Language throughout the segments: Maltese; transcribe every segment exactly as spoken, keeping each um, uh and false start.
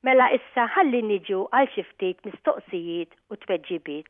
Mela issa ħalli niġu għal xi ftit mistoqsijiet u tweġibiet.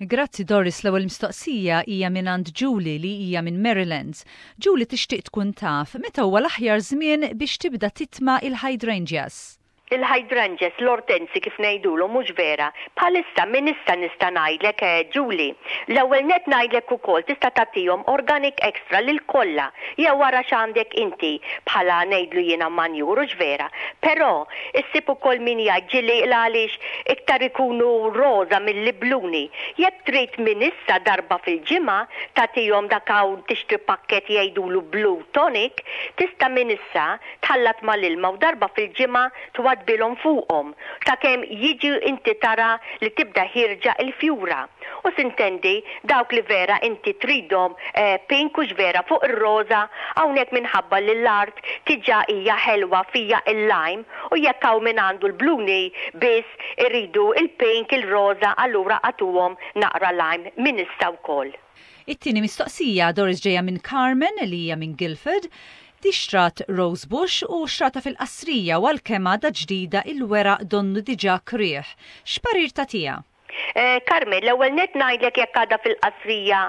Grazzi, Doris. L-ewwel mistoqsija hija minn għand Julie li hija minn Maryland. Julie tixtieq tkun taf meta huwa l-aħjar żmien biex tibda titma' il-hydrangeas. Il-hydrangeas, l-ortenzi kif ngħidulu, mhux vera? Bħalissa, minn issa nista' ngħidlek, eh, Julie. L-ewwel net ngħidlek ukoll tista' tagħtihom organic extra lil kollha jew wara x'għandek inti bħala, ngħidlu jiena, manjur, hux vera? Però issib ukoll min jgħid ġieli għaliex iktar ikunu roża milli bluni. Jekk trid, minn issa darba fil-ġimgħa tagħtihom dak, hawn tixtri pakket jgħidulu Blue Tonic, tista' minn issa tħallat mal-ilma u darba fil-ġimgħa twaddbilhom fuqhom sakemm jiġi inti tara li tibda ħierġa il-fjura. U s'intendi dawk li vera inti tridhom eh, pink, hux vera, fuq ir-roża, hawnhekk minħabba li l-art diġà hija ħelwa, fija il-lime, u jekk hawn min għandu l-bluni biss iridu il-pink, il-roża, allura agħtuhom naqra lime minn issa wkoll. It-tieni mistoqsija, Doris, ġejja minn Carmen li hija minn Guildford. Di xtrat rose bush u xtrata fil-qasrija u għalkemm għadha ġdida, il-weraq donnu diġà krieħ. X'parir tagħtiha? Eh, Carmen, l-ewwel net ngħidlek jekk għadha fil-qasrija,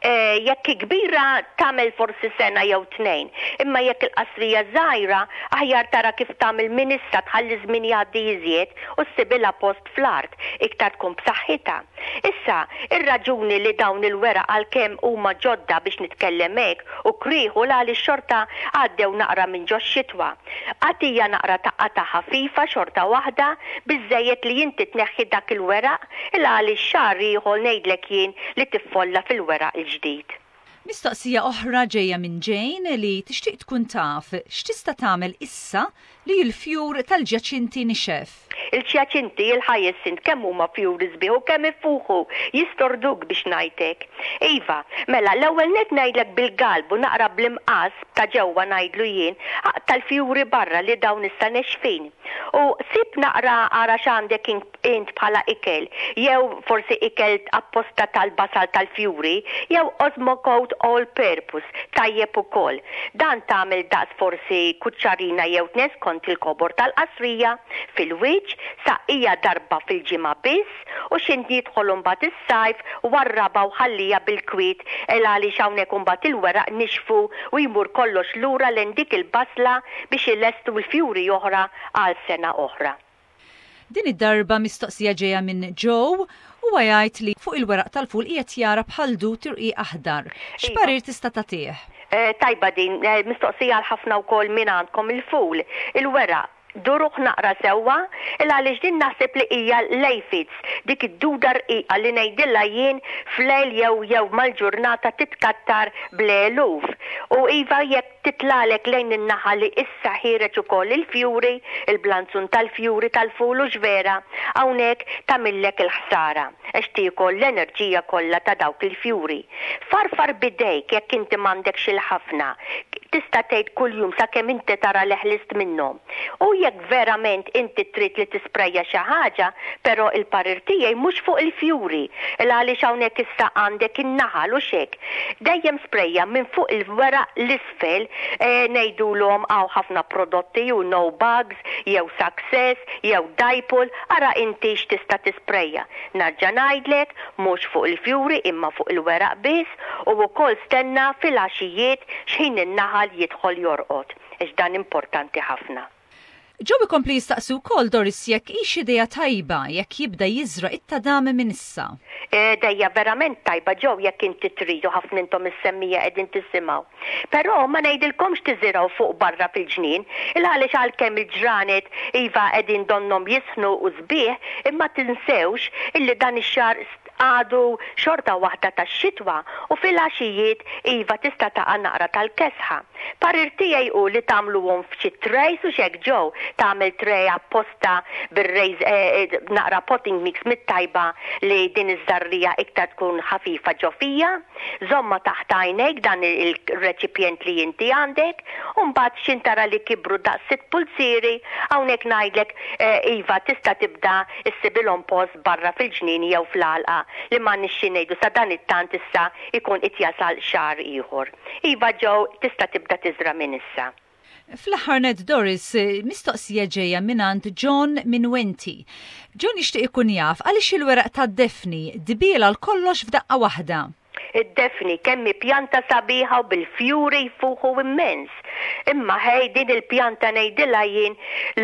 eh, jekk kbira tagħmel forsi sena jew tnejn, imma jekk il-qasrija żgħira, aħjar tara kif tagħmel minn issa, tħalli żmien jgħaddi iżjed u ssibilha post fl-art iktar tkun b'saħħitha. Issa, ir-raġuni li dawn il-weraq, għalkemm huma ġodda, biex nitkellem hekk, u krieħu għaliex xorta għaddew naqra minn ġo xitwa. Agħtiha naqra tgħaqqadha ħafifa xorta waħda, biżejjed li inti tneħħi dak il-weraq, il għaliex xahar ieħor ngħidlek jien li tiffolla fil-weraq il-ġdid. Mistoqsija oħra ġejja minn Jane li tixtieq tkun taf x'tista' tagħmel issa li l-fjur tal-ġjaċinti nixef. Il-ġjaċinti, il-hyacinth, kemm huma fjuri sbieħ u kemm ifuħu, jistorduk biex ngħidlek. Iva, mela l-ewwel net ngħidlek bil-galbu, naqra bl-imqas ta' ġewwa, ngħidlu jien, aqta' l-fjuri barra li dawn issa nexfin. U sib naqra, ara x'għandek int bħala ikel, jew forsi ikel apposta tal-basal tal-fjuri, jew Osmocote All Purpose, tajjeb ukoll. Dan tagħmel daqs forsi kuċċarina jew tnejn skont il-kobor tal-qasrija fil-wiċċ, saqqija darba fil-ġimgħa biss, u x'ħin jidħol mbagħad is-sajf warraba u ħallija bil-kwiet, el għaliex hawnhekk imbagħad il-weraq nixfu u jmur kollox lura lejn dik il-basla biex ilestu l-fjuri oħra għal sena oħra. Din id-darba mistoqsija ġejja minn Joe u jgħid li fuq il-weraq tal-ful qiegħed jara bħal dud irqiq aħdar. X'parir tista' tagħtih? Eh, tajba din, eh, mistoqsija għal ħafna wkoll minn għandkom il-ful. Il-weraq duruh naqra sewwa, il għaliex din naħseb li hija l-aphids, dik id-duda rqiqa li ngħidilha jien flejl jew jew mal-ġurnata titkattar bl-eluf. U iva, jekk titlagħlek lejn in-naħa li issa ħiereġ ukoll il-fjuri, il-blanzun tal-fjuri tal-ful, hux vera, hawnhekk tagħmillek il-ħsara għax tiekol l-enerġija kollha ta' dawk il-fjuri. Farfar bidejk jekk inti m'għandekx il-ħafna. Tista' tgħid kuljum sakemm inti tara li ħlist minnhom. U jekk verament inti trid li tisprejja xi ħaġa, però il-parir tiegħi mhux fuq il-fjuri, il għaliex hawnhekk issa għandek in-naħal u xek. Dejjem sprejja minn fuq il-weraq l-isfel, e, ngħidulhom hawn ħafna prodotti ju No Bugs, jew Success, jew Dipole, ara inti x'tista' tisprejja. Nerġa' ngħidlek, mhux fuq il-fjuri imma fuq il-weraq biss, u wkoll stenna fil-għaxijiet x'ħin in-naħal jidħol jorqod, għax dan importanti ħafna. Joe ikompli jistaqsi wkoll, Doris, jekk hix idea tajba jekk jibda jiżra' it-tadam minn issa. Idea verament tajba, Joe, jekk inti tridu, ħafna intom is-semmiegħa qegħdin tisimgħu. Però ma ngħidilkomx tiżirgħu fuq barra fil-ġnien, il għaliex għalkemm il-ġranet iva qegħdin donnom jisħnu u sbieħ, imma tinsewx illi dan ix-xahar għadu xorta waħda tax-xitwa u fil-għaxijiet iva tista' taqa' naqra tal-kesħa. Parir tiegħi hu li tagħmluhom f'xi trays u xek, Joe, tagħmel tray apposta bir-raise, eh, naqra potting mix mit-tajba li din iż-żarrija iktar tkun ħafifa ġo fija, żommha taħt għajnejk dan il-reċipjent li inti għandek, u mbagħad x'ħin tara li kibru daqs sitt pulzieri, hawnhekk ngħidlek eh, iva, tista' tibda issibilhom post barra fil-ġnien jew fl-għalqa li ma nixxi ngħidu sa dan it-tant issa ikun qed jasal xahar ieħor. Iva Joe, tista' tibda tiżra' minn issa. Fl-aħħar nett, Doris, mistoqsija ġejja mingħand John minn Wenti. John jixtieq ikun jaf għaliex il-weraq tad-defni dbiel għal kollox f'daqqa waħda. Id-defni kemm pjanta sabiħa u bil-fjuri jfuħu immens. Imma ħej, din il-pjanta ngħidilha jien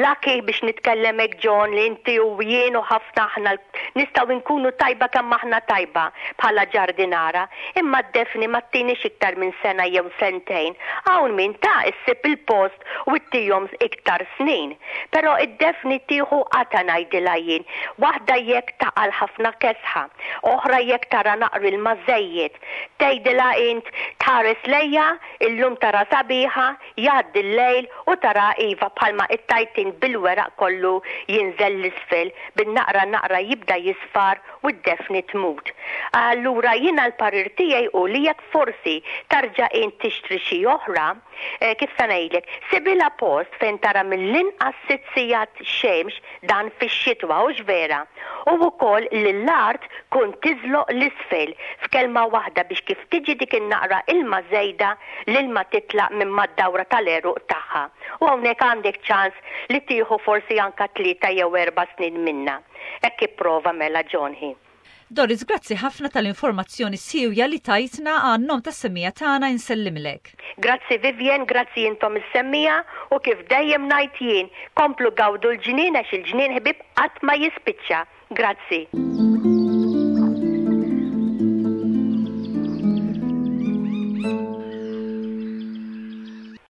lucky biex nitkellem hekk, John, li inti u jien u ħafna aħna nistgħu nkunu tajba kemm aħna tajba bħala ġardinara, imma d-defni ma ttinix iktar minn sena jew sentejn. Hawn min ta' issib il-post u ttihom iktar snin. Però id-defni tieħu qata, ngħidilha jien. Waħda jekk taqal ħafna kesħa, oħra jekk tara naqra ilma żejjed. Tgħidilha int tħares lejha, illum tara sabiħa, jgħaddi l-lejl u tara iva bħalma it-tajtin bil-weraq kollu jinżel l-isfel, bin-naqra naqra jibda jisfar u d-defni tmut. Allura jiena l-parir tiegħi u li jekk forsi tarġa' int tixtri xi oħra, eh, kif se ngħidlek, sibilha post fejn tara mill-inqas sitt sigħat xemx, dan fix-xitwa, hux vera. U wkoll li l-art kun tiżloq l-isfel, f'kelma waħda biex kif tiġi dik in-naqra ilma żejda, l-ilma titlaq minn mad-dawra tal-għeruq tagħha. U hawnhekk għandek ċans li tieħu forsi anka tlieta jew erba' snin minna. Hekk ipprova mela, John ħi. Doris, grazzi ħafna tal-informazzjoni siewja li tajtna. Għan-nom tas-semmiegħa tagħna insellimlek. Grazzi Vivian, grazzi intom is-semmiegħa, u kif dejjem ngħid jien, komplu gawdu l-ġnien għax il-ġnien, ħbieb, qatt ma jispiċċa. Grazzi.